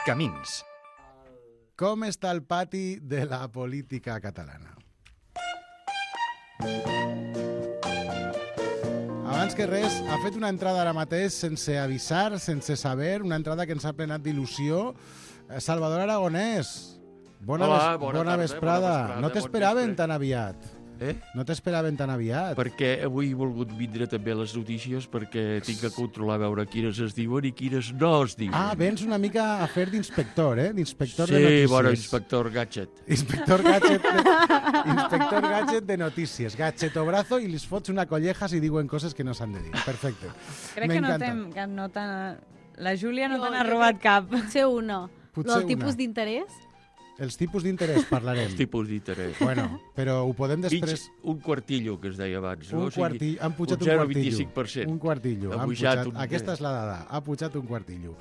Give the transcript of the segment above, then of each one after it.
Camins. Com està el pati de la política catalana? Abans que res, ha fet una entrada ara mateix sense avisar, sense saber, una entrada que ens ha plenat d'il·lusió. Salvador Aragonès, bona vesprada. No t'esperaven tan aviat. No t'esperaven tan aviat. Perquè avui he volgut vindre també a les notícies perquè tinc que controlar a veure quines es diuen i quines no es diuen. Ah, vens una mica a fer d'inspector, d'inspector de notícies. Sí, bueno, inspector Gadget. Inspector Gadget de notícies. Gadget o brazo i li fots una colleja si diuen coses que no s'han de dir. Perfecte. Crec que no t'han... La Júlia no te n'ha robat cap. Potser una. El tipus d'interès? Els tipus d'interès parlarem. Els tipus d'interès. Bueno, però ho podem després... Un quartillo, que es deia abans. Un quartillo. Han pujat un quartillo. Un quartillo. Aquesta és la dada. Ha pujat un quartillo.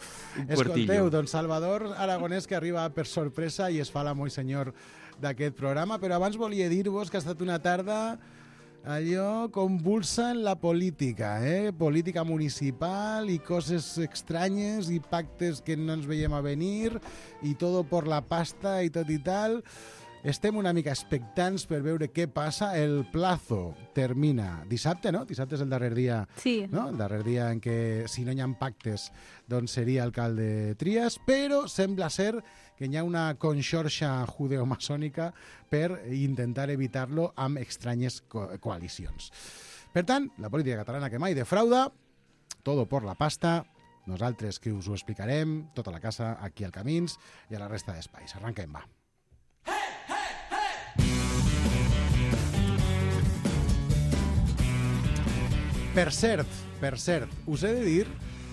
Escolteu, doncs Salvador Aragonès, que arriba per sorpresa i es fa l'amo i senyor d'aquest programa, però abans volia dir-vos que ha estat una tarda allò convulsa en la política, política municipal i coses estranyes i pactes que no ens veiem a venir i todo por la pasta i tot i tal. Estem una mica expectants per veure què passa. El plazo termina dissabte, no? Dissabte és el darrer dia, sí. No? El darrer dia en què, si no hi ha pactes, doncs seria alcalde Trias, però sembla ser que hi ha una conxorxa judeomaçònica per intentar evitar-lo amb estranyes coalicions. Per tant, la política catalana que mai defrauda, todo por la pasta, nosaltres que us ho explicarem, tota la casa aquí al Camins i a la resta d'espais. Arranquem, va. Per cert, us he de dir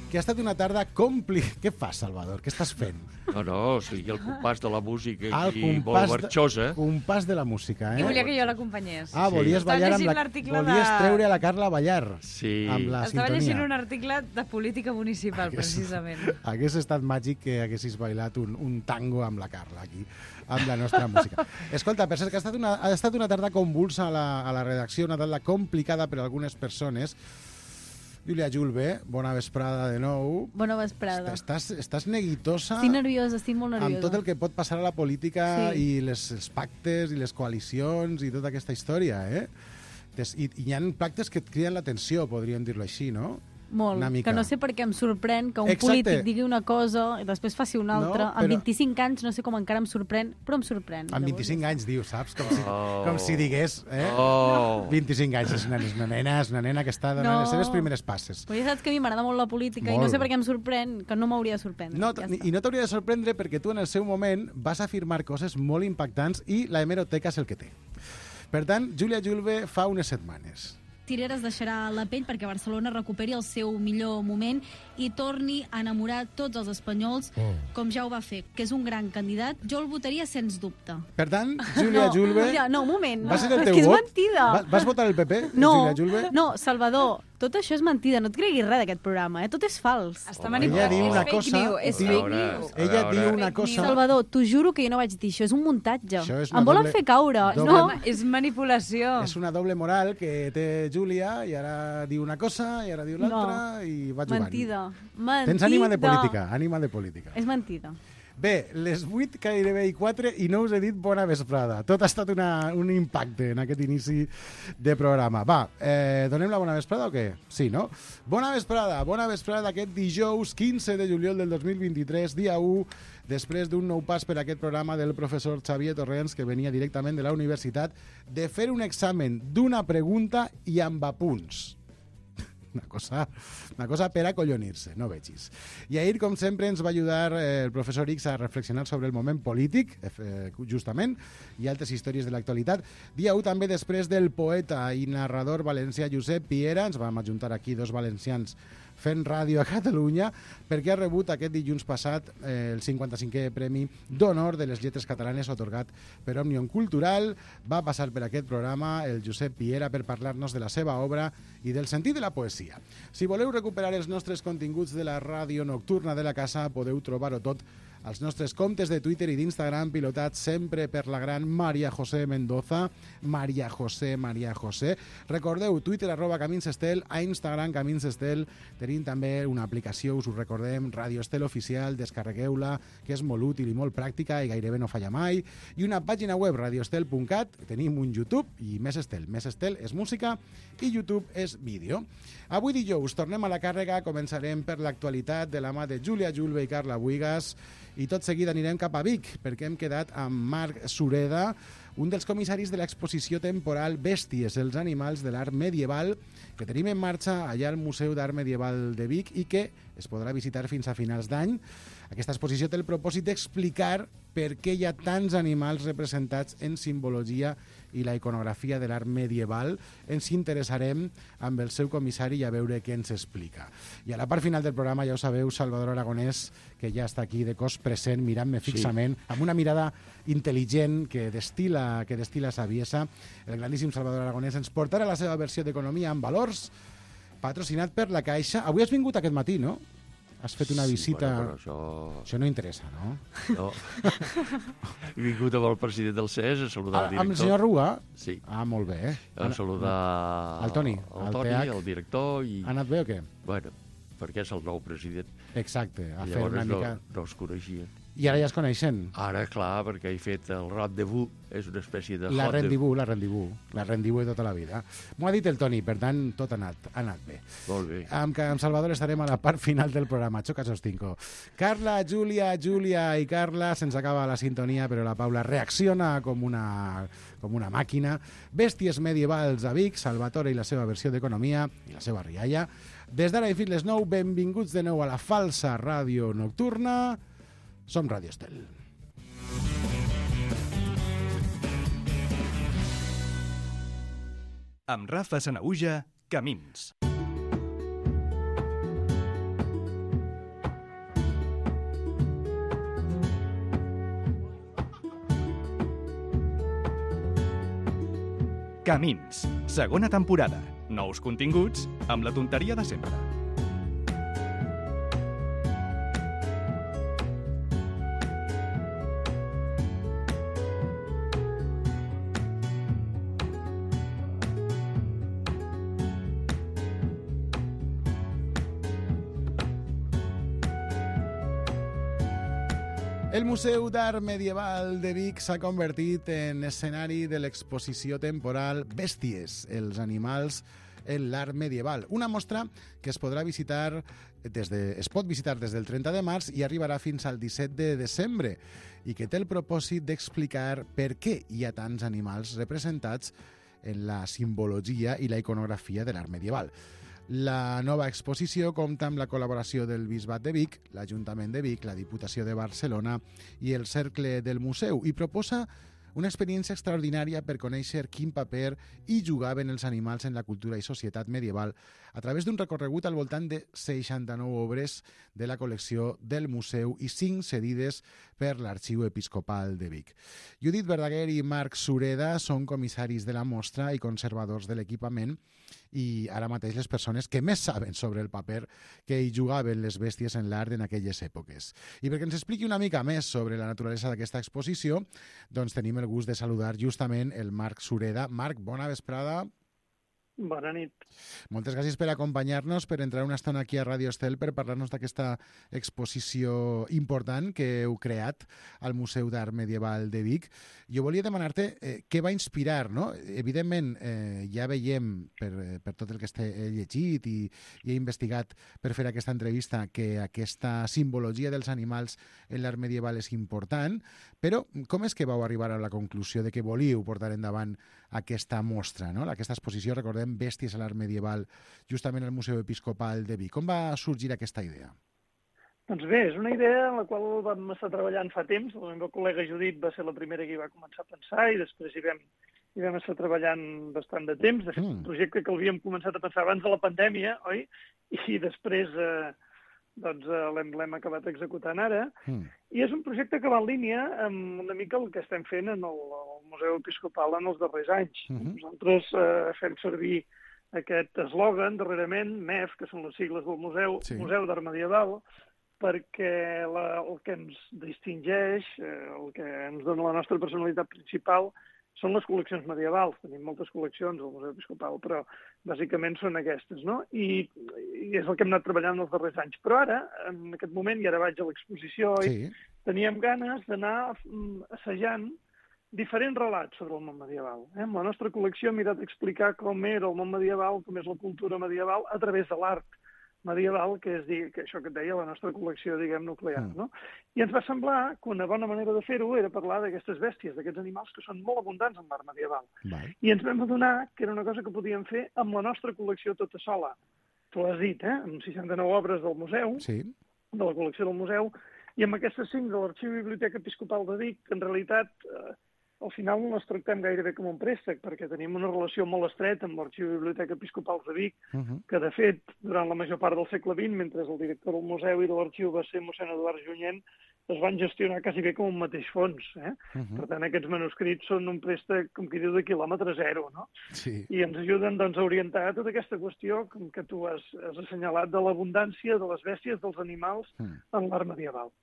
que ha estat una tarda Què fas, Salvador? Què estàs fent? No, sí, el compàs de la música aquí, molt marxosa. Compàs de la música, I volia que jo l'acompanyés. Ah, volies ballar amb la... Volies treure a la Carla a ballar. Sí. Amb la sintonia. Estava llegint un article de política municipal, precisament. Hagués estat màgic que haguessis bailat un tango amb la Carla aquí, amb la nostra música. Escolta, per cert, que ha estat una tarda convulsa a la redacció, una tarda complicada per a algunes persones. Júlia Julve, bona vesprada de nou. Bona vesprada. Estàs neguitosa. Estic nerviosa, estic molt nerviosa. Amb tot el que pot passar a la política i els pactes i les coalicions i tota aquesta història, I hi ha pactes que et criden l'atenció, podríem dir-lo així, no? Molt, que no sé per què em sorprèn que un polític digui una cosa i després faci una altra. Amb 25 anys no sé com encara em sorprèn, però em sorprèn. Amb 25 anys, diu, saps? Com si digués, 25 anys, és una nena que està donant les seves primeres passes. Però ja saps que a mi m'agrada molt la política i no sé per què em sorprèn, que no m'hauria de sorprendre. I no t'hauria de sorprendre perquè tu en el seu moment vas afirmar coses molt impactants i la hemeroteca és el que té. Per tant, Júlia Julve fa unes setmanes. Tireres deixarà la pell perquè Barcelona recuperi el seu millor moment i torni a enamorar tots els espanyols, com ja ho va fer, que és un gran candidat. Jo el votaria sens dubte. Per tant, Júlia Julve... No, un moment. Va ser el teu vot? És mentida. Vas votar el PP, Júlia Julve? No, Salvador, tot això és mentida. No et creguis res d'aquest programa, Tot és fals. Està manipulat. És fake news. Ella diu una cosa... Salvador, t'ho juro que jo no vaig dir això. És un muntatge. Em volen fer caure. No, és manipulació. És una doble moral que té Júlia i ara diu una cosa i ara diu l'altra i va jugant. Mentida. Tens ànima de política, És mentida. Bé, les 8 gairebé i 4 i no us he dit bona vesprada. Tot ha estat un impacte en aquest inici de programa. Va, donem la bona vesprada o què? Sí, no? Bona vesprada aquest dijous 15 de juliol del 2023, dia 1, després d'un nou pas per aquest programa del professor Xavier Torrents, que venia directament de la universitat, de fer un examen d'una pregunta i amb apunts. Una cosa per acollonir-se, no vegis. I ahir, com sempre, ens va ajudar el professor X a reflexionar sobre el moment polític, justament, i altres històries de l'actualitat. Dia 1 també després del poeta i narrador valencià Josep Piera. Ens vam ajuntar aquí dos valencians fent ràdio a Catalunya, perquè ha rebut aquest dilluns passat el 55è Premi d'Honor de les Lletres Catalanes atorgat per Òmnium Cultural. Va passar per aquest programa el Josep Piera per parlar-nos de la seva obra i del sentit de la poesia. Si voleu recuperar els nostres continguts de la ràdio nocturna de la casa, podeu trobar-ho tot als nostres comptes de Twitter i d'Instagram, pilotats sempre per la gran Maria José Mendoza. Maria José. Recordeu, Twitter @CaminsEstel, a Instagram CaminsEstel. Tenim també una aplicació, us ho recordem, Radio Estel Oficial, descarregueu-la, que és molt útil i molt pràctica i gairebé no falla mai. I una pàgina web, radioestel.cat. Tenim un YouTube i Més Estel. Més Estel és música i YouTube és vídeo. Avui dijous tornem a la càrrega, començarem per l'actualitat de la mà de Júlia Julve i Carla Buigas i tot seguit anirem cap a Vic perquè hem quedat amb Marc Sureda, un dels comissaris de l'exposició temporal Bèsties, els animals de l'art medieval, que tenim en marxa allà al Museu d'Art Medieval de Vic i que es podrà visitar fins a finals d'any. Aquesta exposició té el propòsit d'explicar per què hi ha tants animals representats en simbologia i la iconografia de l'art medieval. Ens interessarem amb el seu comissari i a veure què ens explica. I a la part final del programa, ja ho sabeu, Salvador Aragonès, que ja està aquí de cos present, mirant-me fixament, amb una mirada intel·ligent que destila saviesa. El grandíssim Salvador Aragonès ens portarà la seva versió d'Economia amb valors, patrocinat per la Caixa. Avui has vingut aquest matí, no? Has fet una visita... Bueno, però això no interessa, no? No. He vingut amb el president del CES a saludar el director. Amb el senyor Rua? Sí. Ah, molt bé. A saludar el Toni, el director. I... Ha anat bé o què? Bueno, perquè és el nou president. Exacte, a fer una mica... No es coneixien. I ara ja es coneixen? Ara, clar, perquè he fet el rendezvous, és una espècie de... La rendezvous de tota la vida. M'ho ha dit el Toni, per tant, tot ha anat bé. Molt bé. Amb Salvador estarem a la part final del programa. Xoca sostinco. Carla, Júlia i Carla, se'ns acaba la sintonia, però la Paula reacciona com una màquina. Bèsties medievals a Vic, Salvatore i la seva versió d'Economia, i la seva rialla. Des d'ara i fins les 9, benvinguts de nou a la falsa ràdio nocturna. Som Radio Estel. Amb Rafa Sanahuja, Camins. Camins, segona temporada. Nous continguts amb la tonteria de sempre. El Museu d'Art Medieval de Vic s'ha convertit en escenari de l'exposició temporal Bèsties, els animals en l'art medieval. Una mostra que es pot visitar des del 30 de març i arribarà fins al 17 de desembre i que té el propòsit d'explicar per què hi ha tants animals representats en la simbologia i la iconografia de l'art medieval. La nova exposició compta amb la col·laboració del Bisbat de Vic, l'Ajuntament de Vic, la Diputació de Barcelona i el Cercle del Museu i proposa una experiència extraordinària per conèixer quin paper hi jugaven els animals en la cultura i societat medieval a través d'un recorregut al voltant de 69 obres de la col·lecció del museu i 5 cedides per l'Arxiu Episcopal de Vic. Judit Verdaguer i Marc Sureda són comissaris de la mostra i conservadors de l'equipament i ara mateix les persones que més saben sobre el paper que hi jugaven les bèsties en l'art en aquelles èpoques. I perquè ens expliqui una mica més sobre la naturalesa d'aquesta exposició, doncs tenim el gust de saludar justament el Marc Sureda. Marc, bona vesprada. Bona nit. Moltes gràcies per acompanyar-nos, per entrar una estona aquí a Radio Estel per parlar-nos d'aquesta exposició important que heu creat al Museu d'Art Medieval de Vic. Jo volia demanar-te què va inspirar, no? Evidentment, ja veiem per tot el que he llegit i he investigat per fer aquesta entrevista que aquesta simbologia dels animals en l'art medieval és important, però com és que vau arribar a la conclusió de que volíeu portar endavant aquesta mostra, no? Aquesta exposició, recordem, Bèsties a l'art medieval, justament al Museu Episcopal de Vic. Com va sorgir aquesta idea? Doncs bé, és una idea en la qual vam estar treballant fa temps. La meva col·lega Judit va ser la primera que hi va començar a pensar i després hi vam estar treballant bastant de temps. De fet, un projecte que l'havíem començat a pensar abans de la pandèmia, oi? I després l'hem acabat executant ara. I és un projecte que va en línia amb una mica el que estem fent en el Museu Episcopal en els darrers anys. Nosaltres fem servir aquest eslògan darrerament, MEF, que són les sigles del museu, Museu d'Art Medieval, perquè el que ens distingeix, el que ens dona la nostra personalitat principal, són les col·leccions medievals. Tenim moltes col·leccions al Museu Episcopal, però bàsicament són aquestes, no? I és el que hem anat treballant els darrers anys. Però ara, en aquest moment, i ara vaig a l'exposició, teníem ganes d'anar assajant diferents relats sobre el món medieval. Amb la nostra col·lecció hem mirat d'explicar com era el món medieval, com és la cultura medieval, a través de l'art medieval, que és això que et deia, la nostra col·lecció, diguem, nuclear, no? I ens va semblar que una bona manera de fer-ho era parlar d'aquestes bèsties, d'aquests animals que són molt abundants en l'art medieval. I ens vam adonar que era una cosa que podíem fer amb la nostra col·lecció tota sola. Tu has dit, amb 69 obres del museu, de la col·lecció del museu, i amb aquestes 5 de l'Arxiu i Biblioteca Episcopal de Vic, que en realitat al final no les tractem gairebé com un préstec, perquè tenim una relació molt estreta amb l'Arxiu i Biblioteca Episcopal de Vic, que, de fet, durant la major part del segle XX, mentre el director del museu i de l'arxiu va ser mossèn Eduard Junyent, es van gestionar quasi bé com un mateix fons. Per tant, aquests manuscrits són un préstec, com qui diu, de quilòmetre zero, no? I ens ajuden doncs, a orientar tota aquesta qüestió que tu has assenyalat de l'abundància de les bèsties, dels animals, en l'art medieval.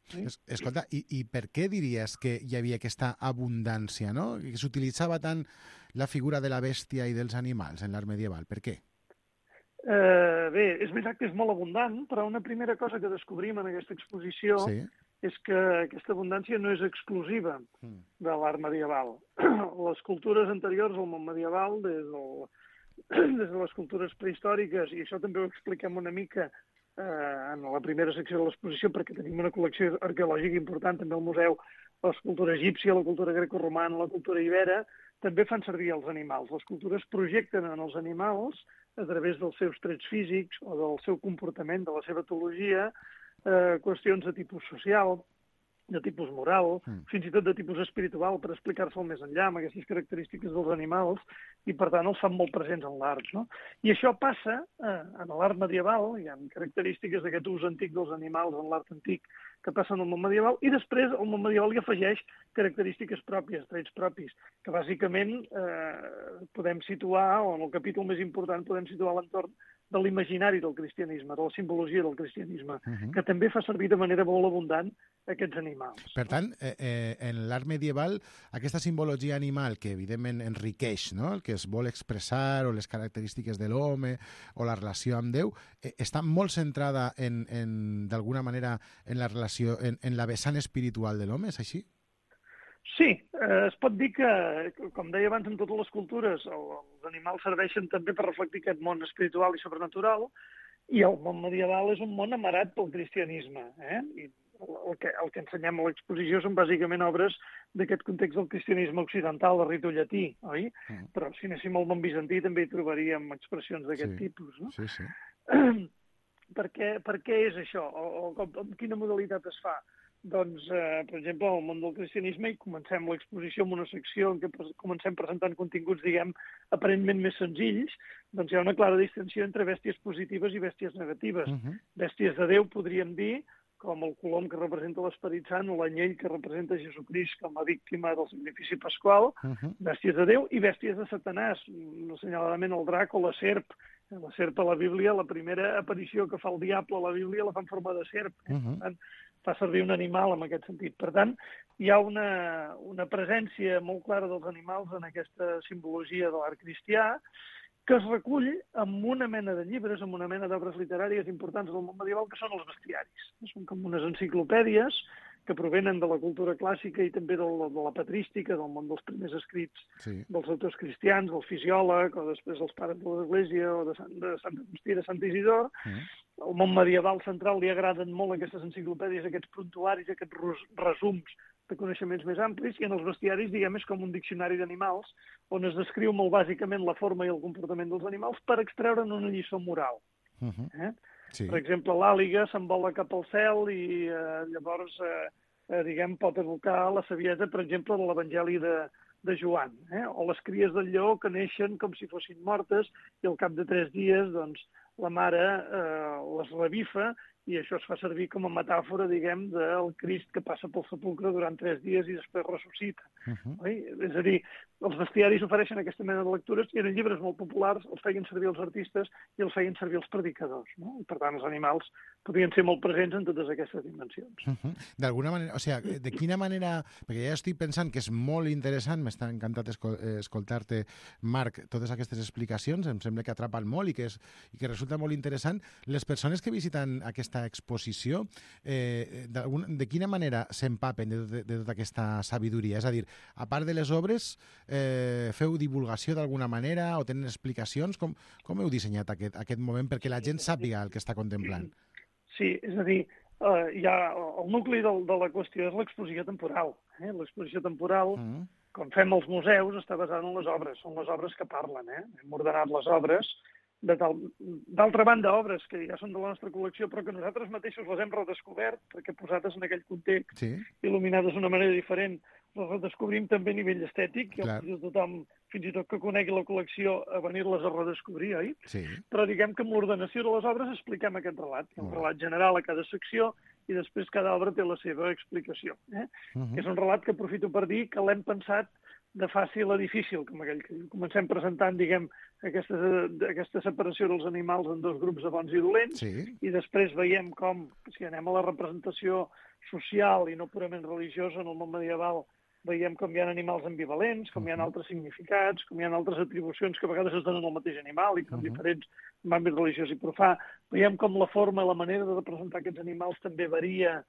Escolta, i per què diries que hi havia aquesta abundància, no? Que s'utilitzava tant la figura de la bèstia i dels animals en l'art medieval. Per què? Bé, és veritat que és molt abundant, però una primera cosa que descobrim en aquesta exposició és que aquesta abundància no és exclusiva de l'art medieval. Les cultures anteriors al món medieval, des de les cultures prehistòriques, i això també ho expliquem una mica en la primera secció de l'exposició, perquè tenim una col·lecció arqueològica important també al museu, la cultura egípcia, la cultura grecorromana, la cultura ibera, també fan servir els animals. Les cultures projecten en els animals, a través dels seus trets físics o del seu comportament, de la seva etologia, qüestions de tipus social, de tipus moral, fins i tot de tipus espiritual, per explicar-se'l més enllà, amb aquestes característiques dels animals, i per tant els fan molt presents en l'art, no? I això passa en l'art medieval, hi ha característiques d'aquest ús antic dels animals en l'art antic que passen al món medieval, i després el món medieval hi afegeix característiques pròpies, trets propis, que bàsicament podem situar, o en el capítol més important podem situar l'entorn de l'imaginari del cristianisme, de la simbologia del cristianisme, que també fa servir de manera molt abundant aquests animals. Per tant, en l'art medieval, aquesta simbologia animal que evidentment enriqueix, no?, el que es vol expressar, o les característiques de l'home, o la relació amb Déu, està molt centrada d'alguna manera en la relació, en la vessant espiritual de l'home, és així? Sí, es pot dir que, com deia abans, en totes les cultures els animals serveixen també per reflectir aquest món espiritual i sobrenatural, i el món medieval és un món amarat pel cristianisme. I el que ensenyem a l'exposició són bàsicament obres d'aquest context del cristianisme occidental, de ritu llatí, oi? Però si anéssim al món bizantí també hi trobaríem expressions d'aquest tipus, no? Per què és això? Amb quina modalitat es fa? Doncs, per exemple, al món del cristianisme, i comencem l'exposició amb una secció en què comencem presentant continguts, diguem, aparentment més senzills, doncs hi ha una clara distinció entre bèsties positives i bèsties negatives. Bèsties de Déu, podríem dir, com el colom que representa l'Esperit Sant o l'anyell que representa Jesucrist com a víctima del sacrifici pasqual, bèsties de Déu, i bèsties de Satanàs, assenyaladament el drac o la serp. La serp a la Bíblia, la primera aparició que fa el diable a la Bíblia la fa en forma de serp. Per tant, fa servir un animal en aquest sentit. Per tant, hi ha una presència molt clara dels animals en aquesta simbologia de l'art cristià, que es recull amb una mena de llibres, amb una mena d'obres literàries importants del món medieval, que són els bestiaris. Són com unes enciclopèdies que provenen de la cultura clàssica i també de la patrística, del món dels primers escrits dels autors cristians, del fisiòleg, o després dels pares de l'Església, o de Sant Agustí, de Sant Isidor. Al món medieval central li agraden molt aquestes enciclopèdies, aquests prontuaris, aquests resums de coneixements més amplis, i en els bestiaris, diguem, és com un diccionari d'animals, on es descriu molt bàsicament la forma i el comportament dels animals per extreure'n una lliçó moral. Per exemple, l'àliga s'envola cap al cel i llavors, diguem, pot evocar la saviesa, per exemple, de l'Evangeli de Joan. O les cries del lleó que neixen com si fossin mortes i al cap de 3 dies, doncs, la mare les revifa i això es fa servir com a metàfora, diguem, del Crist que passa pel sepulcre durant 3 dies i després ressuscita. És a dir, els bestiaris ofereixen aquesta mena de lectures i eren llibres molt populars, els feien servir els artistes i els feien servir els predicadors, no? I per tant els animals podien ser molt presents en totes aquestes dimensions. D'alguna manera, o sigui, de quina manera, perquè ja estic pensant que és molt interessant, m'està encantat escoltar-te, Marc, totes aquestes explicacions, em sembla que atrapen molt i que resulta molt interessant. Les persones que visiten aquesta exposició, de quina manera s'empapen de tota aquesta sabidoria? És a dir, a part de les obres, feu divulgació d'alguna manera o tenen explicacions? Com heu dissenyat aquest moment perquè la gent sàpiga el que està contemplant? Sí, és a dir, el nucli de la qüestió és l'exposició temporal. L'exposició temporal, com fem als museus, està basada en les obres. Són les obres que parlen. Hem ordenat les obres. D'altra banda, obres que ja són de la nostra col·lecció, però que nosaltres mateixos les hem redescobert, perquè posades en aquell context, il·luminades d'una manera diferent, les redescobrim també a nivell estètic, i el tothom, fins i tot que conegui la col·lecció, a venir-les a redescobrir, oi? Sí. Però diguem que amb l'ordenació de les obres expliquem aquest relat. Hi ha un relat general a cada secció, i després cada obra té la seva explicació. És un relat que aprofito per dir que l'hem pensat de fàcil a difícil, com aquell que diu. Comencem presentant, diguem, aquesta separació dels animals en 2 grups de bons i dolents, i després veiem com, si anem a la representació social i no purament religiosa en el món medieval, veiem com hi ha animals ambivalents, com hi ha altres significats, com hi ha altres atribucions que a vegades es donen al mateix animal i que són diferents en àmbit religiós i profà. Veiem com la forma i la manera de representar aquests animals també varia,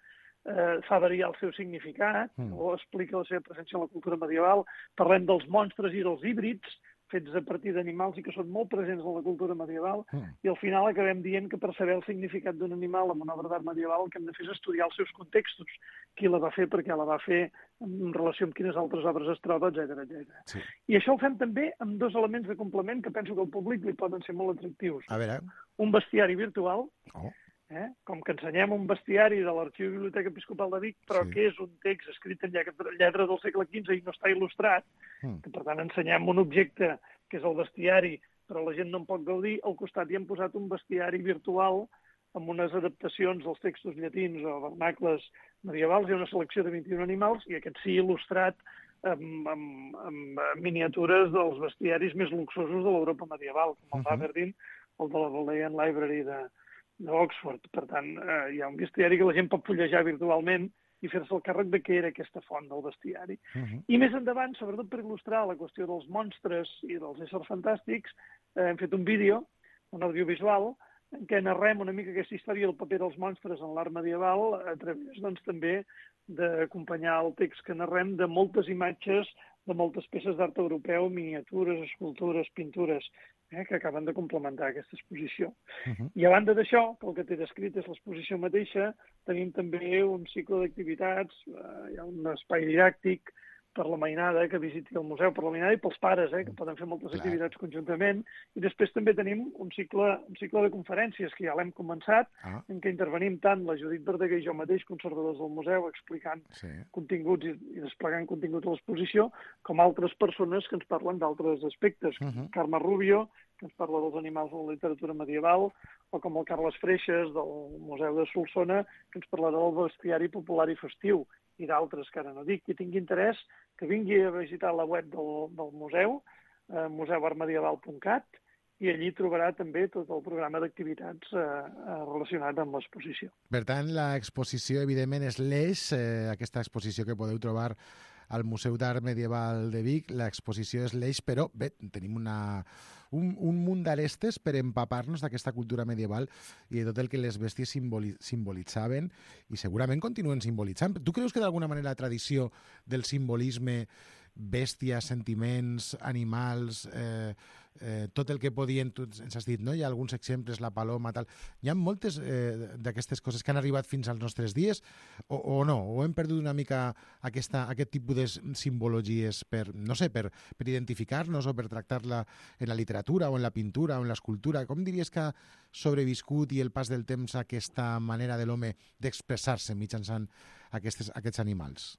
fa variar el seu significat, o explica la seva presència en la cultura medieval. Parlem dels monstres i dels híbrids, fets a partir d'animals i que són molt presents en la cultura medieval, i al final acabem dient que per saber el significat d'un animal en una obra d'art medieval el que hem de fer és estudiar els seus contextos, qui la va fer, per què la va fer, en relació amb quines altres obres es troba, etc. Sí. I això ho fem també amb 2 elements de complement que penso que al públic li poden ser molt atractius. A veure. Un bestiari virtual, com que ensenyem un bestiari de l'Arxiu i Biblioteca Episcopal de Vic, però que és un text escrit en lletra del segle XV i no està il·lustrat, que per tant ensenyem un objecte que és el bestiari, però la gent no en pot gaudir, al costat hi hem posat un bestiari virtual amb unes adaptacions dels textos llatins o vernacles medievals, hi ha una selecció de 21 animals, i aquest sí il·lustrat amb miniatures dels bestiaris més luxosos de l'Europa medieval, com el d'Aberdeen o el de la Bodleian Library d'Oxford. Per tant, hi ha un bestiari que la gent pot fullejar virtualment i fer-se el càrrec de què era aquesta font del bestiari. I més endavant, sobretot per il·lustrar la qüestió dels monstres i dels éssers fantàstics, hem fet un vídeo, un audiovisual, en què narrem una mica aquesta història del paper dels monstres en l'art medieval a través, doncs, també d'acompanyar el text que narrem de moltes imatges de moltes peces d'art europeu, miniatures, escultures, pintures, que acaben de complementar aquesta exposició. I a banda d'això, que el que té descrit és l'exposició mateixa, tenim també un cicle d'activitats, hi ha un espai didàctic per la mainada que visiti el museu, per la mainada i pels pares, que poden fer moltes activitats conjuntament. I després també tenim un cicle de conferències que ja l'hem començat, en què intervenim tant la Judit Verdaguer i jo mateix, conservadors del museu, explicant continguts i desplegant continguts a l'exposició, com altres persones que ens parlen d'altres aspectes. Carme Rubio, que ens parla dels animals de la literatura medieval, o com el Carles Freixas, del Museu de Solsona, que ens parlarà del bestiari popular i festiu, i d'altres que ara no dic. Qui tingui interès, que vingui a visitar la web del museu, museuartmedieval.cat, i allí trobarà també tot el programa d'activitats relacionat amb l'exposició. Per tant, l'exposició, evidentment, és l'eix, aquesta exposició que podeu trobar al Museu d'Art Medieval de Vic. L'exposició és l'eix, però bé, tenim un munt d'arestes per empapar-nos d'aquesta cultura medieval i de tot el que les bèsties simbolitzaven i segurament continuen simbolitzant. Tu creus que d'alguna manera la tradició del simbolisme, bèsties, sentiments, animals, tot el que podien, tu ens has dit, no? Hi ha alguns exemples, la paloma, tal. Hi ha moltes d'aquestes coses que han arribat fins als nostres dies o no? O hem perdut una mica aquest tipus de simbologies per identificar-nos o per tractar-la en la literatura o en la pintura o en l'escultura? Com diries que ha sobreviscut i el pas del temps aquesta manera de l'home d'expressar-se mitjançant aquests animals?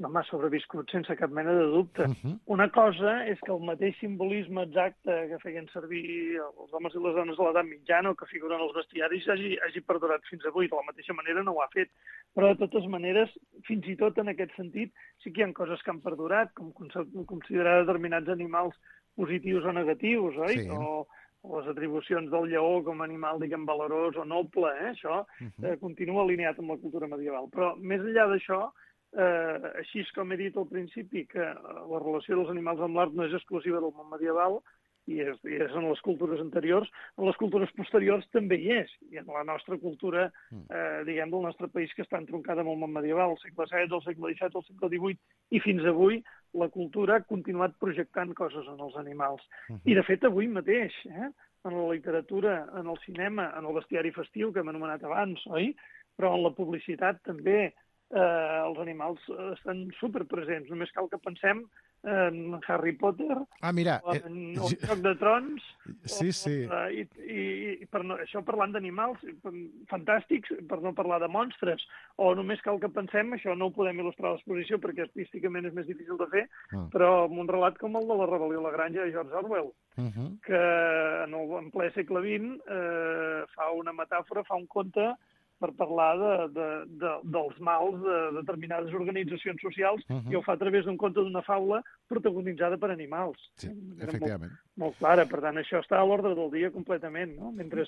m'ha sobreviscut sense cap mena de dubte. Una cosa és que el mateix simbolisme exacte que feien servir els homes i les dones de l'edat mitjana o que figuren als bestiaris hagi perdurat fins avui. De la mateixa manera no ho ha fet. Però, de totes maneres, fins i tot en aquest sentit, sí que hi ha coses que han perdurat, com considerar determinats animals positius o negatius, oi? Sí. O les atribucions del lleó com a animal, diguem, valorós o noble, això continua alineat amb la cultura medieval. Però, més enllà d'això, així com he dit al principi que la relació dels animals amb l'art no és exclusiva del món medieval, i és en les cultures anteriors, en les cultures posteriors també hi és, i en la nostra cultura, diguem, del nostre país, que està entroncada amb el món medieval, el segle XVI, el segle XVII, el segle XVIII, i fins avui la cultura ha continuat projectant coses en els animals. I, de fet, avui mateix, en la literatura, en el cinema, en el bestiari festiu, que hem anomenat abans, oi? Però en la publicitat també els animals estan superpresents. Només cal que pensem en Harry Potter, en el Joc de Trons, i això parlant d'animals fantàstics, per no parlar de monstres, o només cal que pensem, això no ho podem il·lustrar a l'exposició perquè artísticament és més difícil de fer, però amb un relat com el de La rebel·lió a la granja de George Orwell, que en ple segle XX fa una metàfora, fa un conte per parlar dels mals de determinades organitzacions socials, i ho fa a través d'un conte d'una faula protagonitzada per animals. Sí, efectivament. Molt clara, per tant, això està a l'ordre del dia completament, no? Mentre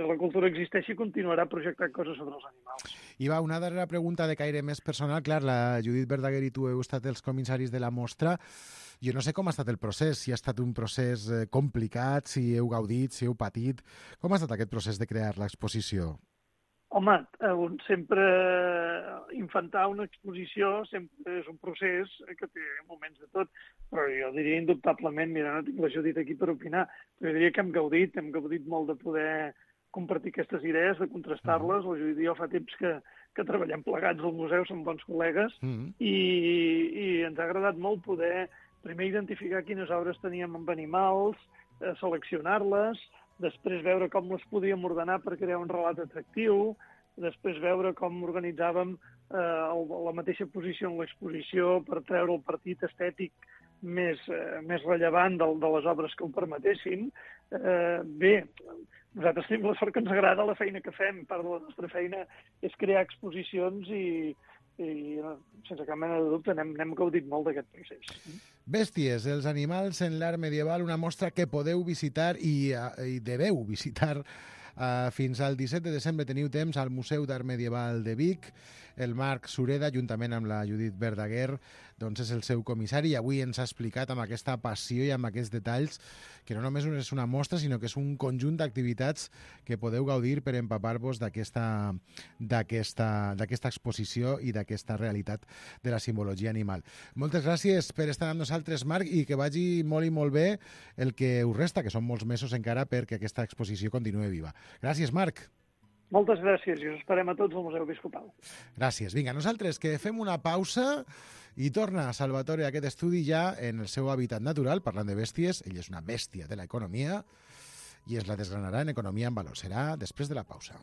la cultura existeixi, continuarà projectant coses sobre els animals. I va, una darrera pregunta de caire més personal. Clar, la Judit Verdaguer i tu heu estat els comissaris de la mostra. Jo no sé com ha estat el procés, si ha estat un procés complicat, si heu gaudit, si heu patit. Com ha estat aquest procés de crear l'exposició? Home, sempre infantar una exposició sempre és un procés que té moments de tot, però jo diria indubtablement, mira, no tinc la Judit aquí per opinar, però jo diria que hem gaudit molt de poder compartir aquestes idees, de contrastar-les. La Judit i jo fa temps que treballem plegats al museu, som bons col·legues, i ens ha agradat molt poder primer identificar quines obres teníem amb animals, seleccionar-les, després veure com les podíem ordenar per crear un relat atractiu, després veure com organitzàvem la mateixa posició en l'exposició per treure el partit estètic més rellevant de les obres que ho permetessin. Bé, nosaltres tenim la sort que ens agrada la feina que fem. Part de la nostra feina és crear exposicions i sense cap mena de dubte n'hem gaudit molt d'aquest procés. Bèsties, els animals en l'art medieval, una mostra que podeu visitar i deveu visitar fins al 17 de desembre. Teniu temps al Museu d'Art Medieval de Vic. El Marc Sureda, juntament amb la Judit Verdaguer, doncs és el seu comissari, i avui ens ha explicat amb aquesta passió i amb aquests detalls que no només és una mostra, sinó que és un conjunt d'activitats que podeu gaudir per empapar-vos d'aquesta exposició i d'aquesta realitat de la simbologia animal. Moltes gràcies per estar amb nosaltres, Marc, i que vagi molt i molt bé el que us resta, que són molts mesos encara perquè aquesta exposició continuï viva. Gràcies, Marc. Moltes gràcies i us esperem a tots al Museu Episcopal. Gràcies. Vinga, nosaltres que fem una pausa i torna Salvatore a aquest estudi ja en el seu hàbitat natural, parlant de bèsties. Ell és una bèstia de l'economia i es la desgranarà en Economia en Valor. Serà després de la pausa.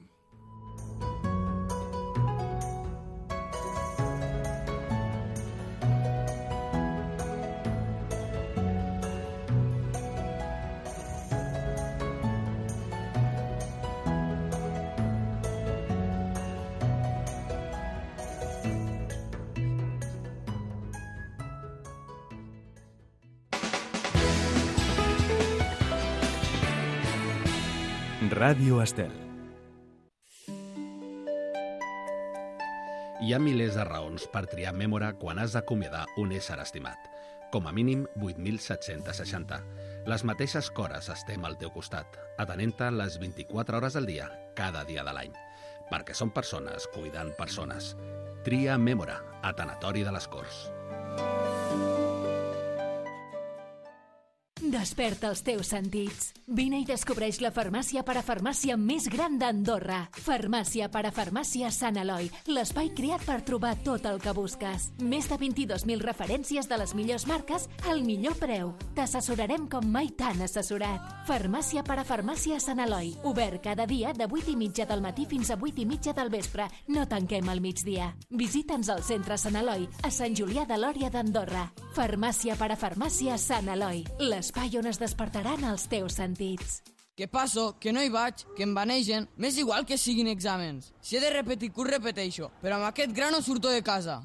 Ràdio Estel. Hi ha milers de raons per triar Mémora quan has d'acomiadar un ésser estimat. Com a mínim 8.760. Les mateixes cores estem al teu costat, atenent-te les 24 hores del dia, cada dia de l'any. Perquè som persones cuidant persones. Tria Mémora, a Tanatori de les Corts. Desperta els teus sentits. Vine i descobreix la farmàcia parafarmàcia més gran d'Andorra. Farmàcia parafarmàcia Sant Eloi, l'espai creat per trobar tot el que busques. Més de 22.000 referències de les millors marques al millor preu. T'assessorarem com mai t'han assessorat. Farmàcia parafarmàcia Sant Eloi, obert cada dia de 8:30 del matí fins a 8:30 del vespre. No tanquem al migdia. Visita'ns al centre Sant Eloi, a Sant Julià de Lòria d'Andorra. Farmàcia parafarmàcia Sant Eloi, l'espai on es despertaran els teus sentits. Que passo, que no hi vaig, que em banegen, m'és igual que siguin exàmens. Si he de repetir curs, repeteixo, però amb aquest gra no surto de casa.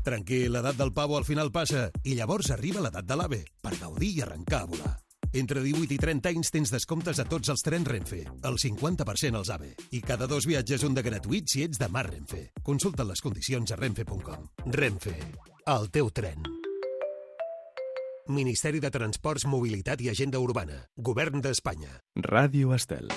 Tranquil, l'edat del pavo al final passa, i llavors arriba l'edat de l'AVE, per gaudir i arrencar a volar. Entre 18 i 30 anys tens descomptes a tots els trens Renfe, el 50% als AVE, i cada 2 viatges un de gratuït si ets de Mar Renfe. Consulta les condicions a renfe.com. Renfe, el teu tren. Ministeri de Transports, Mobilitat i Agenda Urbana. Govern d'Espanya. Ràdio Estel.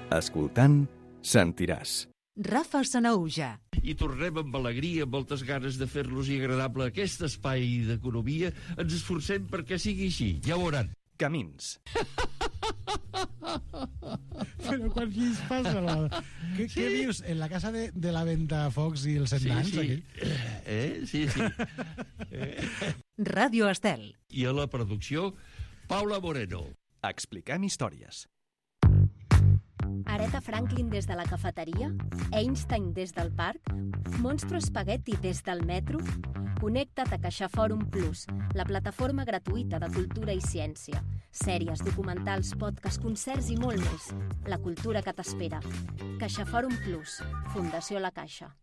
Escoltant, sentiràs. Rafa Sanaüja. I tornem amb alegria, amb moltes ganes de fer-los-hi agradable aquest espai d'economia. Ens esforcem perquè sigui així, ja ho veuran. Camins. Però quan qui es passa? Què vius? En la casa de la Ventafocs i els Sentans? Sí. Ràdio Estel. I a la producció, Paula Moreno. Expliquem històries. Aretha Franklin des de la cafeteria, Einstein des del parc, Monstro Spaghetti des del metro. Connecta't a CaixaForum Plus, la plataforma gratuïta de cultura i ciència. Sèries, documentals, podcasts, concerts i molt més. La cultura que t'espera. CaixaForum Plus, Fundació La Caixa.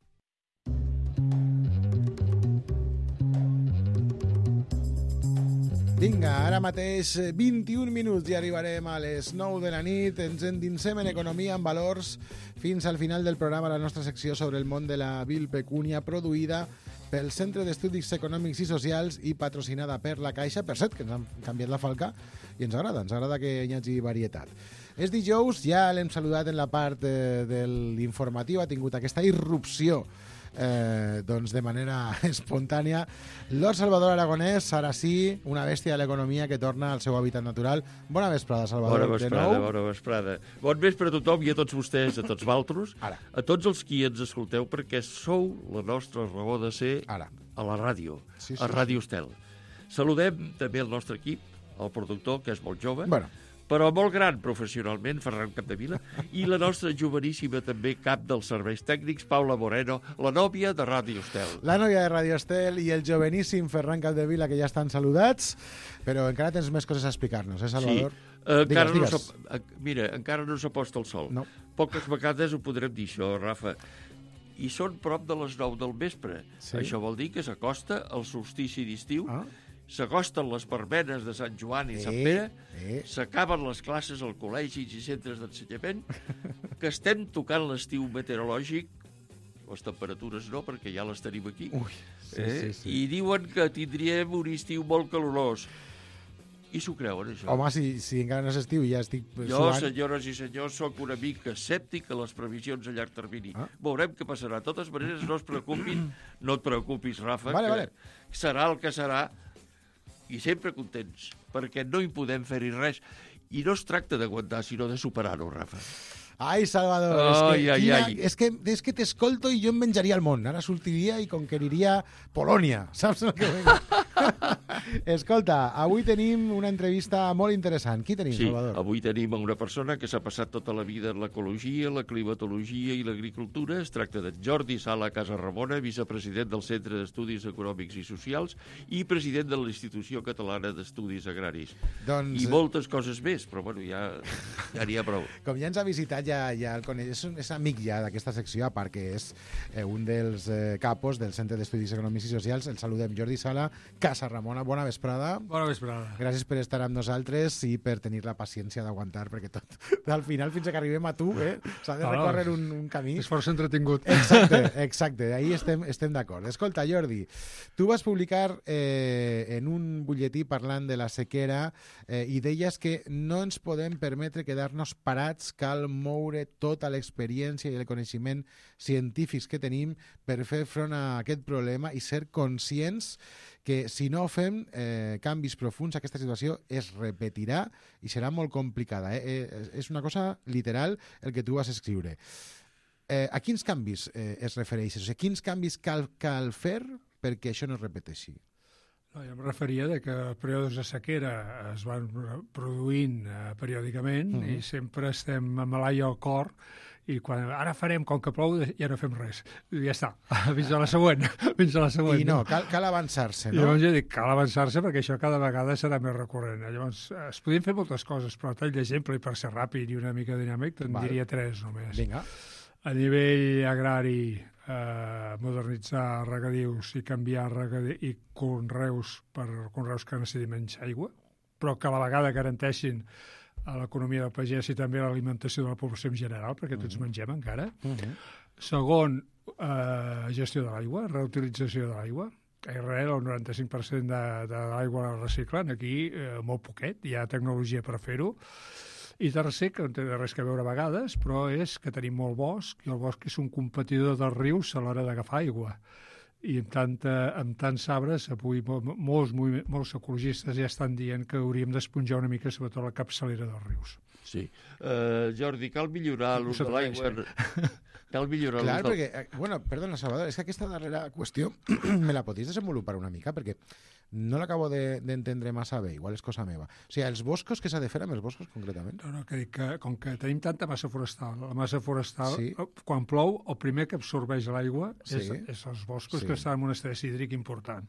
Vinga, ara mateix 21 minuts i arribarem a les 9 de la nit. Ens endinsem en economia, en valors, fins al final del programa, la nostra secció sobre el món de la vil pecúnia, produïda pel Centre d'Estudis Econòmics i Socials i patrocinada per la Caixa. Per cert, que ens han canviat la falca i ens agrada que hi hagi varietat. És dijous, ja l'hem saludat en la part de l'informatiu, ha tingut aquesta irrupció doncs de manera espontània. Lord Salvador Aragonès, ara sí, una bèstia de l'economia que torna al seu hàbitat natural. Bona vesprada, Salvador. Bona vesprada. Bon vespre a tothom i a tots vostès, a tots vosaltres, a tots els qui ens escolteu, perquè sou la nostra raó de ser a la ràdio, a Ràdio Estel. Saludem també el nostre equip, el productor, que és molt jove, però molt gran professionalment, Ferran Capdevila, i la nostra joveníssima també cap dels serveis tècnics, Paula Moreno, la nòvia de Ràdio Estel. La nòvia de Ràdio Estel i el joveníssim Ferran Capdevila, que ja estan saludats, però encara tens més coses a explicar-nos, Salvador? Sí, encara no s'aposta el sol. No. Poques vegades ho podrem dir, això, Rafa. I són prop de les 9 del vespre. Sí. Això vol dir que s'acosta el solstici d'estiu, s'acosten les verbenes de Sant Joan i Sant Pere, s'acaben les classes als col·legis i centres d'ensenyament, que estem tocant l'estiu meteorològic, les temperatures no, perquè ja les tenim aquí, i diuen que tindríem un estiu molt calorós. I s'ho creuen, això? Home, si encara no és estiu i ja estic suant... Jo, senyores i senyors, sóc una mica escèptic a les previsions a llarg termini. Veurem què passarà. De totes maneres, no es preocupin, no et preocupis, Rafa, que serà el que serà, i sempre contents, perquè no hi podem fer-hi res. I no es tracta d'aguantar, sinó de superar-ho, Rafa. Ai, Salvador, és que t'escolto i jo em menjaria el món. Ara sortiria i conqueriria Polònia. Saps el que vull? Escolta, avui tenim una entrevista molt interessant. Qui tenim, Salvador? Sí, avui tenim una persona que s'ha passat tota la vida en l'ecologia, la climatologia i l'agricultura. Es tracta de Jordi Sala Casaramona, vicepresident del Centre d'Estudis Econòmics i Socials i president de la Institució Catalana d'Estudis Agraris. I moltes coses més, però bueno, ja n'hi ha prou. Com ja ens ha visitat, ja el coneix, és amic ja d'aquesta secció, a part que és un dels capos del Centre d'Estudis Econòmics i Socials. El saludem, Jordi Sala Casaramona. Bona bona vesprada. Bona vesprada. Gràcies per estar amb nosaltres i per tenir la paciència d'aguantar, perquè tot, al final, fins que arribem a tu, s'ha de recórrer un camí. És força entretingut. Exacte, ahí estem d'acord. Escolta, Jordi, tu vas publicar en un butlletí parlant de la sequera i deies que no ens podem permetre quedar-nos parats, cal moure tota l'experiència i el coneixement científics que tenim per fer front a aquest problema i ser conscients que si no fem canvis profunds, aquesta situació es repetirà i serà molt complicada. És una cosa literal el que tu vas escriure. A quins canvis es refereixes? O sigui, quins canvis cal fer perquè això no es repeteixi? No, jo em referia que els períodes de sequera es van produint periòdicament i sempre estem amb l'aire al cor i quan ara farem, com que plou, ja no fem res. I ja està, fins a la següent. I no, cal avançar-se, no? I llavors jo dic, cal avançar-se perquè això cada vegada serà més recurrent. Llavors, es podien fer moltes coses, però a tall d'exemple i per ser ràpid i una mica dinàmic, te'n diria 3 només. Vinga. A nivell agrari, modernitzar regadius i canviar i conreus per conreus que necessitin menys aigua, però que a la vegada garanteixin a l'economia del pagès i també a l'alimentació de la població en general, perquè tots mengem encara. Segon, gestió de l'aigua, reutilització de l'aigua. A Israel el 95% de l'aigua la reciclen, aquí molt poquet, hi ha tecnologia per fer-ho. I tercer, que no té res a veure a vegades, però és que tenim molt bosc, i el bosc és un competidor dels rius a l'hora d'agafar aigua. I amb tants arbres, avui molts ecologistes ja estan dient que hauríem d'esponjar una mica, sobretot la capçalera dels rius. Sí. Jordi, cal millorar l'ús de l'aigua... Cal millorar l'ús de l'aigua. Bueno, perdona, Salvador, és que aquesta darrera qüestió me la podries desenvolupar una mica, perquè no l'acabo d'entendre massa bé, igual és cosa meva. O sigui, els boscos, què s'ha de fer amb els boscos, concretament? No, que dic que com que tenim tanta massa forestal, la massa forestal, quan plou, el primer que absorbeix l'aigua és els boscos, que estan en un estrès hídric important.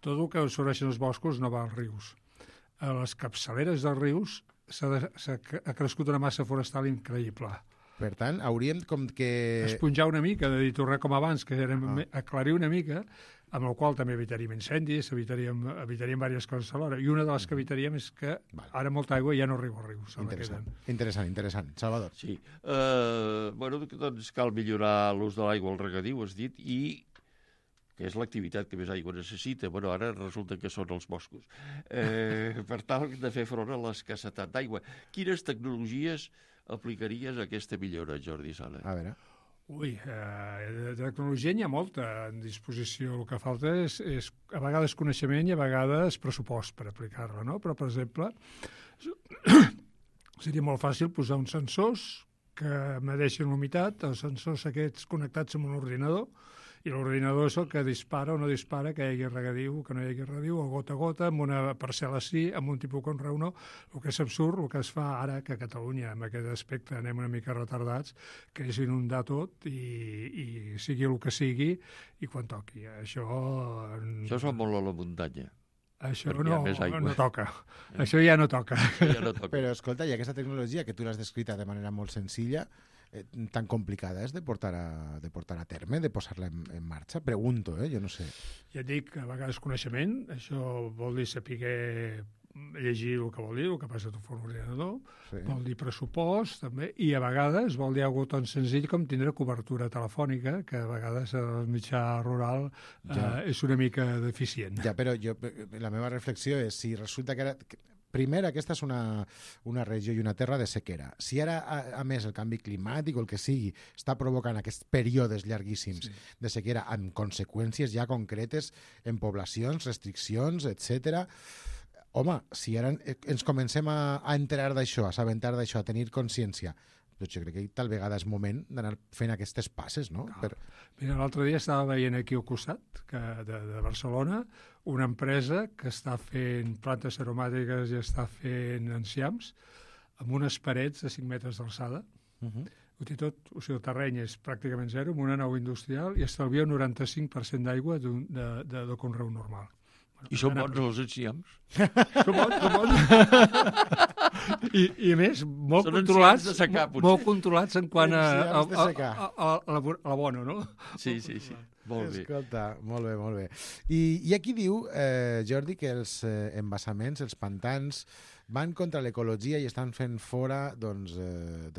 Tot el que absorbeixen els boscos no va als rius. A les capçaleres dels rius ha crescut una massa forestal increïble. Per tant, hauríem com que... esponjar una mica, de dir, tornar com abans, que aclarir una mica, amb el qual també evitaríem incendis, evitaríem diverses coses alhora. I una de les que evitaríem és que ara molta aigua ja no arriba als rius. Interessant. Salvador. Sí. Doncs cal millorar l'ús de l'aigua al regadiu, has dit, i que és l'activitat que més aigua necessita. Ara resulta que són els boscos. Per tal de fer front a l'escassetat d'aigua. Quines tecnologies aplicaries a aquesta millora, Jordi Sala? A veure... de tecnologia n'hi ha molta en disposició. El que falta és a vegades coneixement i a vegades pressupost per aplicar-la, no? Però, per exemple, seria molt fàcil posar uns sensors que medeixen l'humitat, els sensors aquests connectats amb un ordinador, i l'ordinador és el que dispara o no dispara que hi hagi regadiu, que no hi hagi regadiu, o gota a gota, amb una parcel·la sí, amb un tipus conreu no. El que és absurd, el que es fa ara, que a Catalunya, en aquest aspecte, anem una mica retardats, que és inundar tot i sigui el que sigui, i quan toqui. Això es fa molt a la muntanya. Això no toca. Això ja no toca. Però, escolta, i aquesta tecnologia que tu l'has descrita de manera molt senzilla, tan complicada és de portar a terme, de posar-la en marxa? Pregunto, jo no sé. Ja et dic, a vegades coneixement, això vol dir saber llegir el que vol dir, el que passa a tu fora l'ordinador, vol dir pressupost, també, i a vegades vol dir alguna cosa tan senzill com tindre cobertura telefònica, que a vegades el mitjà rural és una mica deficient. Ja, però la meva reflexió és si resulta que ara... Primer, aquesta és una regió i una terra de sequera. Si ara, a més, el canvi climàtic o el que sigui està provocant aquests períodes llarguíssims de sequera amb conseqüències ja concretes en poblacions, restriccions, etc. Home, si ara ens comencem a enterar d'això, a assabentar d'això, a tenir consciència, doncs jo crec que tal vegada és moment d'anar fent aquestes passes, no? Mira, l'altre dia estava veient aquí al costat de Barcelona una empresa que està fent plantes aromàtiques i està fent enciams amb unes parets de 5 metres d'alçada. Ho té tot, o sigui, el terreny és pràcticament zero, amb una nau industrial, i estalvia un 95% d'aigua de conreu normal. I són bons els enciams? Són bons. I més, molt controlats en quant a l'abono, no? Sí. Molt bé. Escolta, molt bé. I aquí diu, Jordi, que els embassaments, els pantans, van contra l'ecologia i estan fent fora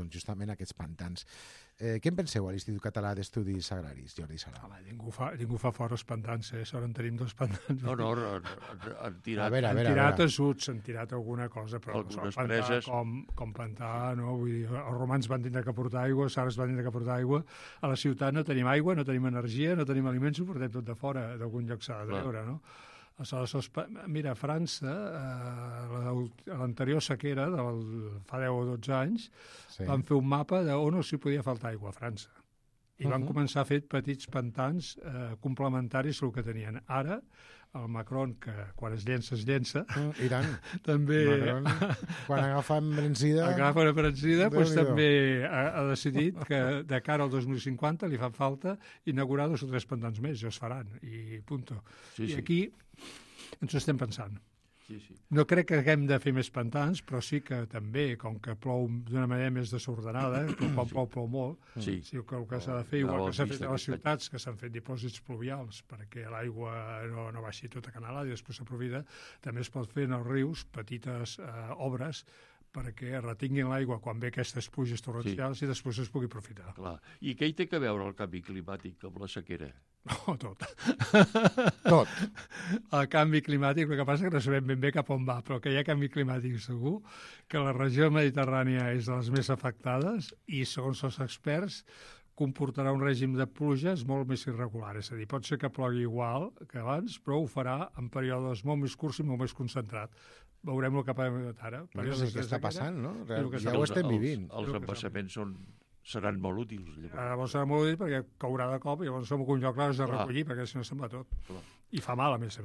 justament aquests pantans. Què en penseu a l'Institut Català d'Estudis Agraris, Jordi Sala? Home, ningú fa fora els pantans, Sort en tenim 2 pantans. No, han tirat... Han tirat ajuts, han tirat alguna cosa, però algunes preses... Com plantar, no? Vull dir, els romans van tindre que portar aigua, els sards van tindre que portar aigua. A la ciutat no tenim aigua, no tenim energia, no tenim aliments, ho portem tot de fora, d'algun lloc s'ha de treure, no? Mira, a França, a l'anterior sequera, fa 10 o 12 anys, van fer un mapa d'on no s'hi podia faltar aigua a França. I van començar a fer petits pantans complementaris al que tenien. Ara, el Macron, que quan es llença... Iran. També... Macron, quan agafa embrencida... Doncs també ha decidit que de cara al 2050 li fa falta inaugurar 2 o 3 pantans més, ja es faran, i punto. I aquí ens ho estem pensant. No crec que haguem de fer més pantans, però sí que també, com que plou d'una manera més desordenada, quan plou molt, sí que el que s'ha de fer, igual que s'ha fet a les ciutats, que s'han fet dipòsits pluvials perquè l'aigua no baixi tota canalada i després s'aprofita, també es pot fer en els rius petites obres perquè retinguin l'aigua quan ve aquestes pluges torrencials i després es pugui aprofitar. Clar. I què hi té a veure el canvi climàtic amb la sequera? Tot. Tot. El canvi climàtic, el que passa és que no sabem ben bé cap on va, però que hi ha canvi climàtic segur, que la regió mediterrània és de les més afectades i, segons els experts, comportarà un règim de pluges molt més irregular. És a dir, pot ser que plogui igual que abans, però ho farà en períodes molt més curts i molt més concentrat. Veurem el que passa ara. Però és el que està passant, no? Ja ho estem vivint. Els embassaments seran molt útils. Llavors seran molt útils perquè caurà de cop i llavors en algun lloc l'has de recollir perquè si no se'n va tot. I fa mal, a més.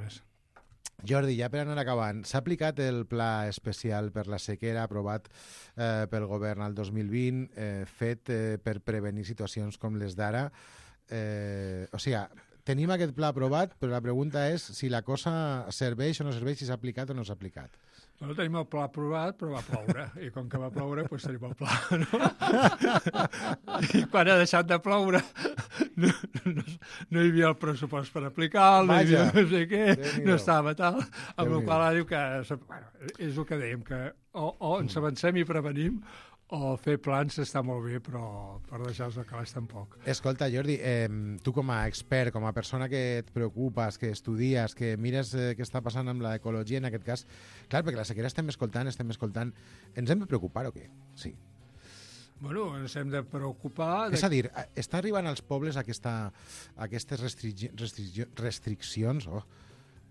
Jordi, ja per anar acabant, s'ha aplicat el pla especial per la sequera aprovat pel govern al 2020, fet per prevenir situacions com les d'ara. O sigui, tenim aquest pla aprovat, però la pregunta és si la cosa serveix o no serveix, si s'ha aplicat o no s'ha aplicat. No tenim el pla aprovat, però va ploure. I com que va ploure, doncs tenim el pla, no? I quan ha deixat de ploure, no hi havia el pressupost per aplicar-lo, no hi havia no sé què, no estava tal. Amb la qual diu que... És el que dèiem, que o ens avancem i prevenim, o fer plans està molt bé, però per deixar-los al calaix tampoc. Escolta, Jordi, tu com a expert, com a persona que et preocupes, que estudies, que mires què està passant amb l'ecologia en aquest cas, clar, perquè la sequera estem escoltant, ens hem de preocupar o què? Sí. Bueno, ens hem de preocupar... És a dir, està arribant als pobles aquestes restriccions,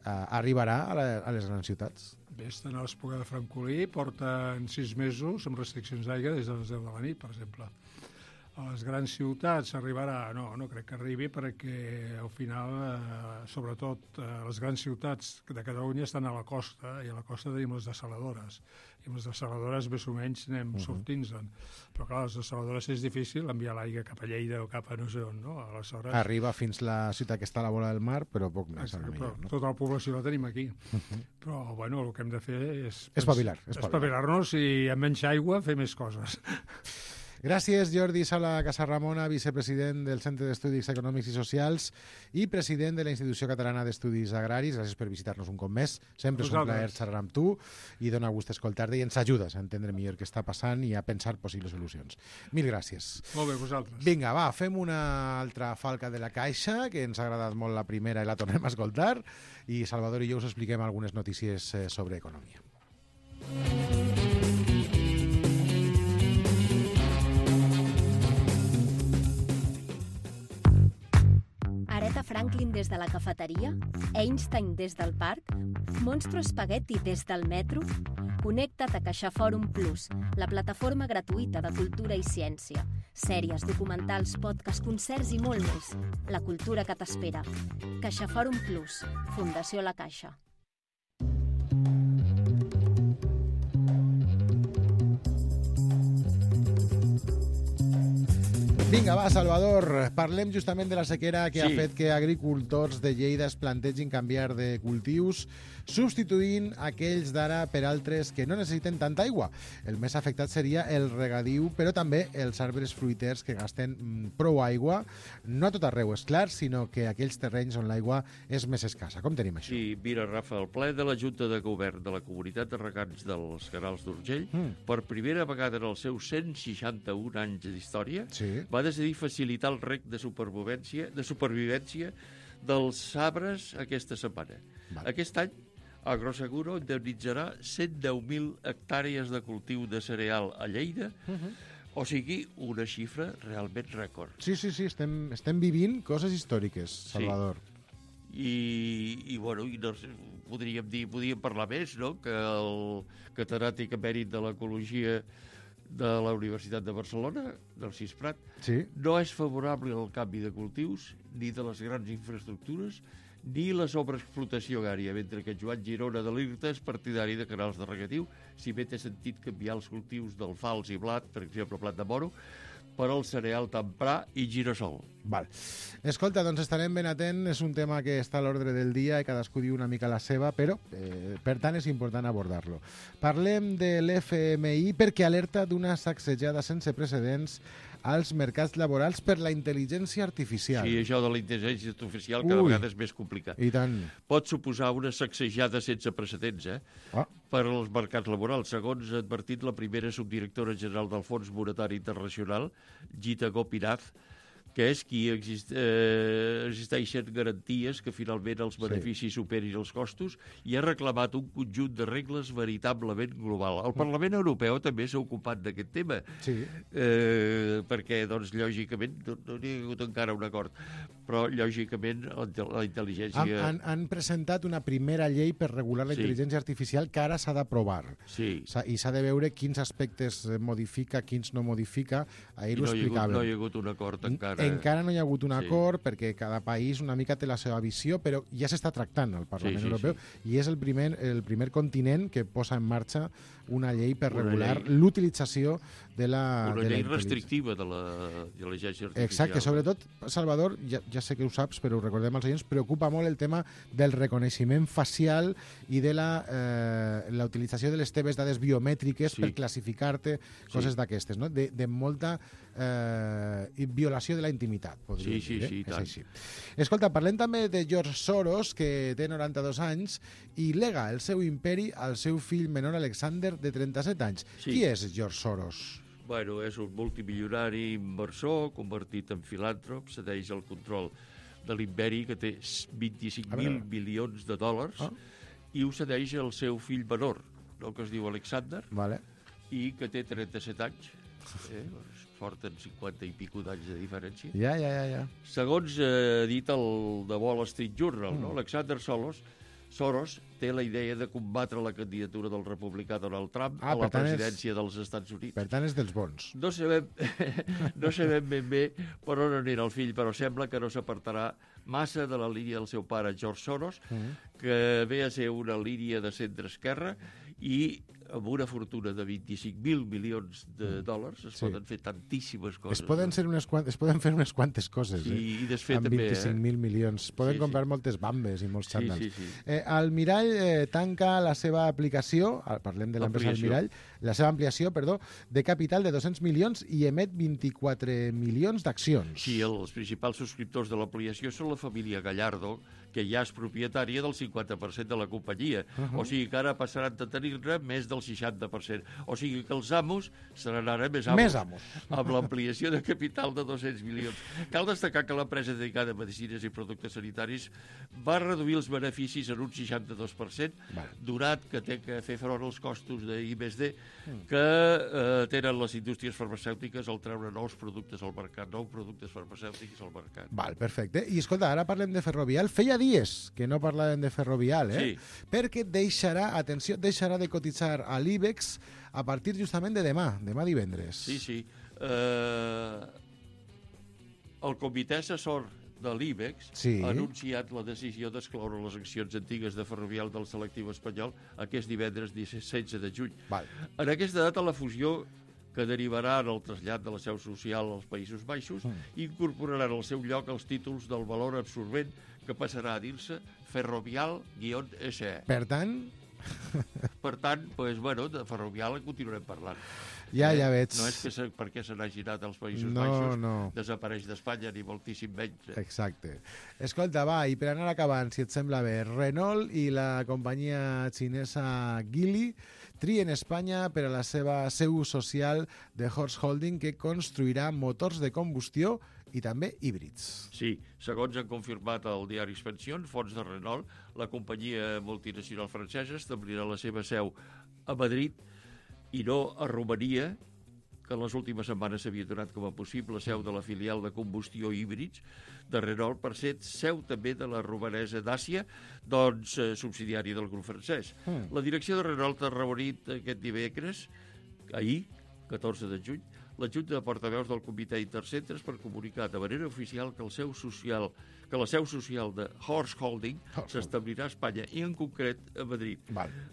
arribarà a les grans ciutats? Bé, estan a l'Espluga de Francolí, porten 6 mesos amb restriccions d'aigua des de les 10 de la nit, per exemple. A les grans ciutats arribarà... No crec que arribi perquè al final, sobretot, les grans ciutats de Catalunya estan a la costa i a la costa tenim les dessaladores. I amb les dessaladores més o menys anem sortint-se'n. Però clar, les dessaladores és difícil enviar l'aigua cap a Lleida o cap a no sé on, no? Aleshores... Arriba fins la ciutat que està a la vora del mar, però poc més. Però tota la població la tenim aquí. Però, bueno, el que hem de fer és... Espavilar-nos i amb menys aigua fer més coses. Gràcies, Jordi Sala Casarramona, vicepresident del Centre d'Estudis Econòmics i Socials i president de la Institució Catalana d'Estudis Agraris. Gràcies per visitar-nos un cop més. Sempre és un plaer xerrar amb tu i dona gust escoltar-te i ens ajudes a entendre millor què està passant i a pensar possibles solucions. Mil gràcies. Molt bé, vosaltres. Vinga, va, fem una altra falca de la caixa, que ens ha agradat molt la primera i la tornem a escoltar, i Salvador i jo us expliquem algunes notícies sobre economia. Aretha Franklin des de la cafeteria, Einstein des del parc, Monstro Spaghetti des del metro. Connecta't a CaixaForum Plus, la plataforma gratuïta de cultura i ciència. Sèries, documentals, podcasts, concerts i molt més. La cultura que t'espera. CaixaForum Plus, Fundació La Caixa. Vinga, va, Salvador, parlem justament de la sequera que ha fet que agricultors de Lleida es plantegin canviar de cultius, substituint aquells d'ara per altres que no necessiten tanta aigua. El més afectat seria el regadiu, però també els arbres fruiters que gasten prou aigua, no a tot arreu, és clar, sinó que aquells terrenys on l'aigua és més escassa. Com tenim això? Sí, mira, Rafa, el ple de la Junta de Govern de la Comunitat de Regants dels Canals d'Urgell, per primera vegada en els seus 161 anys d'història, va decidir facilitar el rec de supervivència dels arbres aquesta setmana. Aquest any, Agroseguro indemnitzarà 110.000 hectàrees de cultiu de cereal a Lleida, o sigui, una xifra realment rècord. Sí, estem vivint coses històriques, Salvador. I bueno, podríem parlar més, no?, que el catedràtic emèrit de l'Ecologia de la Universitat de Barcelona, del CISPRAT, no és favorable al canvi de cultius, ni de les grans infraestructures, ni la sobreexplotació agrària, mentre que Joan Girona de l'IRTA és partidari de canals de regatiu, si bé té sentit canviar els cultius d'alfals i blat, per exemple, blat de moro, per al cereal temprà i girassol. Val. Escolta, doncs estarem ben atent, és un tema que està a l'ordre del dia i cadascú diu una mica la seva, però per tant és important abordar-lo. Parlem de l'FMI perquè alerta d'una sacsejada sense precedents als mercats laborals per la intel·ligència artificial. Sí, això de la intel·ligència artificial cada vegada és més complicat. I tant. Pot suposar una sacsejada sense precedents, per als mercats laborals. Segons ha advertit la primera subdirectora general del Fons Monetari Internacional, Gita Gopinath, que és qui existeixen garanties que finalment els beneficis superin els costos, i ha reclamat un conjunt de regles veritablement global. El Parlament Europeu també s'ha ocupat d'aquest tema, perquè, doncs, lògicament, no hi ha hagut encara un acord, però, lògicament, la intel·ligència... Han presentat una primera llei per regular la intel·ligència artificial que ara s'ha d'aprovar. Sí. I s'ha de veure quins aspectes modifica, quins no modifica. Ahir ho explicàvem. No hi ha hagut un acord encara. Encara no hi ha hagut un acord perquè cada país una mica té la seva visió, però ja s'està tractant al Parlament Europeu i és el primer continent que posa en marxa una llei per regular l'utilització de la... Una llei restrictiva de l'intel·ligència artificial. Exacte, sobretot, Salvador, ja sé que ho saps, però ho recordem als oients, preocupa molt el tema del reconeixement facial i de la utilització de les teves dades biomètriques per classificar-te, coses d'aquestes, no? De molta violació de la intimitat, podríem dir. Sí, tant. Escolta, parlem també de George Soros, que té 92 anys i lega el seu imperi al seu fill menor Alexander, de 37 anys. Qui és George Soros? Bueno, és un multimilionari inversor, convertit en filàntrop, cedeix el control de l'imperi, que té 25.000 milions de dòlars, i ho cedeix al seu fill menor, el que es diu Alexander, i que té 37 anys. Porten 50 i pico d'anys de diferència. Ja. Segons ha dit el The Wall Street Journal, Alexander Soros té la idea de combatre la candidatura del republicà Donald Trump a la presidència dels Estats Units. Per tant, és dels bons. No sabem ben bé per on anirà el fill, però sembla que no s'apartarà massa de la línia del seu pare, George Soros, que ve a ser una línia de centre-esquerra i amb una fortuna de 25.000 milions de dòlars es poden fer tantíssimes coses. Es poden fer unes quantes coses, i desfer amb també, 25.000 milions. Poden comprar moltes bambes i molts xandals. El Mirall tanca la seva aplicació, parlem de l'empresa Almirall, la seva ampliació, de capital de 200 milions i emet 24 milions d'accions. Sí, els principals subscriptors de l'ampliació són la família Gallardo, que ja és propietària del 50% de la companyia. O sigui que ara passaran a tenir-ne més del 60%. O sigui que els amos seran ara més amos. Amb l'ampliació de capital de 200 milions. Cal destacar que l'empresa dedicada a medicines i productes sanitaris va reduir els beneficis en un 62%, donat que té que fer front als costos d'I+D que tenen les indústries farmacèutiques al treure nous productes al mercat, nous productes farmacèutics al mercat. Perfecte. I escolta, ara parlem de Ferrovial. Feia dies que no parlàvem de Ferrovial, perquè deixarà de cotitzar a l'IBEX a partir justament de demà divendres. Sí. El comitè assessor de l'IBEX ha anunciat la decisió d'excloure les accions antigues de Ferrovial del selectiu espanyol aquest divendres 16 de juny. En aquesta data la fusió que derivaran el trasllat de la seu social als Països Baixos i incorporaran al seu lloc els títols del valor absorbent que passarà a dir-se Ferrovial-SE. Per tant, de Ferrovial en continuarem parlant. Ja veig. No és que perquè se n'hagi anat als Països Baixos desapareix d'Espanya, ni moltíssim menys. Exacte. Escolta, va, i per anar acabant, si et sembla bé, Renault i la companyia xinesa Geely trien Espanya per a la seva seu social de Horse Holding, que construirà motors de combustió i també híbrids. Sí, segons han confirmat el diari Expansión, fons de Renault, la companyia multinacional francesa establirà la seva seu a Madrid i no a Romania, que en les últimes setmanes s'havia donat com a possible seu de la filial de combustió híbrids de Renault, per ser seu també de la romanesa Dacia, doncs subsidiària del grup francès. La direcció de Renault ha reunit aquest dimecres, ahir, 14 de juny, la Junta de Portaveus del Comitè Intercentres per comunicar de manera oficial que la seu social de Horse Holding s'establirà a Espanya i en concret a Madrid.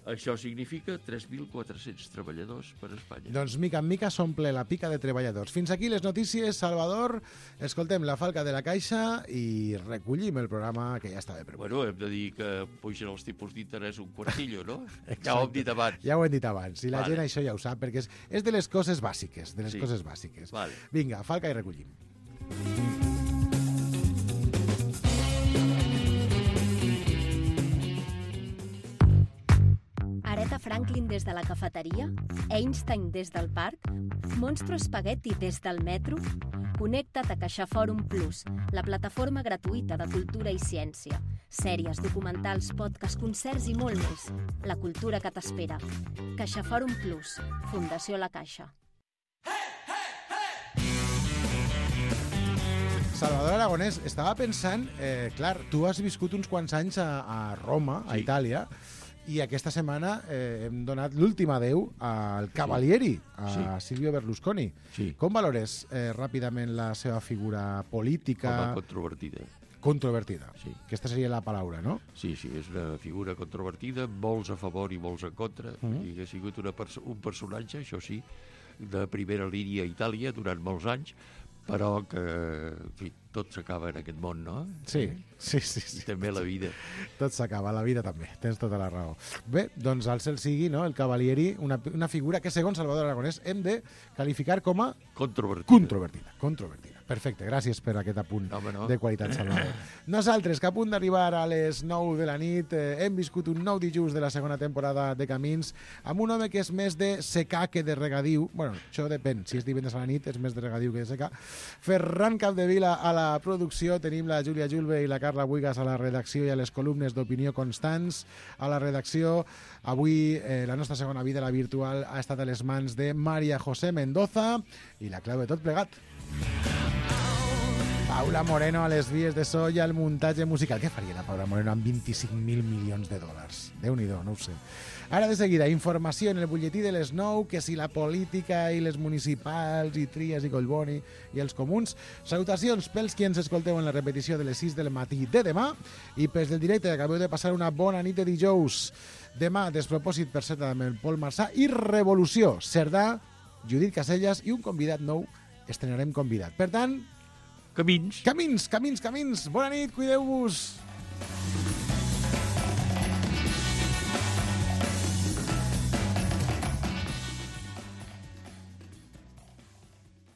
Això significa 3.400 treballadors per a Espanya. Doncs mica en mica s'omple la pica de treballadors. Fins aquí les notícies, Salvador. Escoltem la falca de la caixa i recollim el programa, que ja està bé. Bueno, hem de dir que pugen els tipus d'interès un quartillo, no? Ja ho hem dit abans. Ja ho hem dit abans. I la gent això ja ho sap, perquè és de les coses bàsiques, bàsiques. Vinga, falca i recollim. Aretha Franklin des de la cafeteria, Einstein des del parc, Monstro Spaghetti des del metro. Connecta't a CaixaForum Plus, la plataforma gratuïta de cultura i ciència. Sèries, documentals, podcasts, concerts i molt més. La cultura que t'espera. CaixaForum Plus, Fundació La Caixa. Salvador Aragonès, estava pensant, clar, tu has viscut uns quants anys a Roma, a Itàlia, i aquesta setmana hem donat l'últim adeu al Cavalieri, a Silvio Berlusconi. Com valores ràpidament la seva figura política? Controvertida. Aquesta seria la paraula, no? Sí, és una figura controvertida, molts a favor i molts en contra. I ha sigut un personatge, això sí, de primera línia a Itàlia durant molts anys, però que, en fi, tot s'acaba en aquest món, no? Sí. També la vida. Tot s'acaba, la vida també, tens tota la raó. Bé, doncs al cel sigui, no?, el Cavalieri, una figura que, segons Salvador Aragonès, hem de qualificar com a... Controvertida. Perfecte, gràcies per aquest apunt de qualitat, Salvador. Nosaltres, que a punt d'arribar a les 9 de la nit, hem viscut un nou dijous de la segona temporada de Camins amb un home que és més de secà que de regadiu. Bueno, això depèn, si és divendres a la nit és més de regadiu que de secà. Ferran Capdevila a la producció, tenim la Júlia Julve i la Carla Buigas a la redacció i a les columnes d'opinió constants a la redacció. Avui la nostra segona vida, la virtual, ha estat a les mans de María José Mendoza i la clau de tot plegat, Paula Moreno a les vies de so i al muntatge musical. Què faria la Paula Moreno amb 25.000 milions de dòlars? Déu-n'hi-do, no ho sé. Ara de seguida, informació en el butlletí de les 9, que si la política i les municipals i Trias i Collboni i els comuns. Salutacions pels qui ens escolteu en la repetició de les 6 del matí de demà i pels del directe, que acabeu de passar una bona nit de dijous. Demà, Despropòsit per Seta amb el Pol Marçà i Revolució, Cerdà, Judit Casellas i un convidat nou. Estrenarem convidat. Per tant, Camins. Bona nit, cuideu-vos.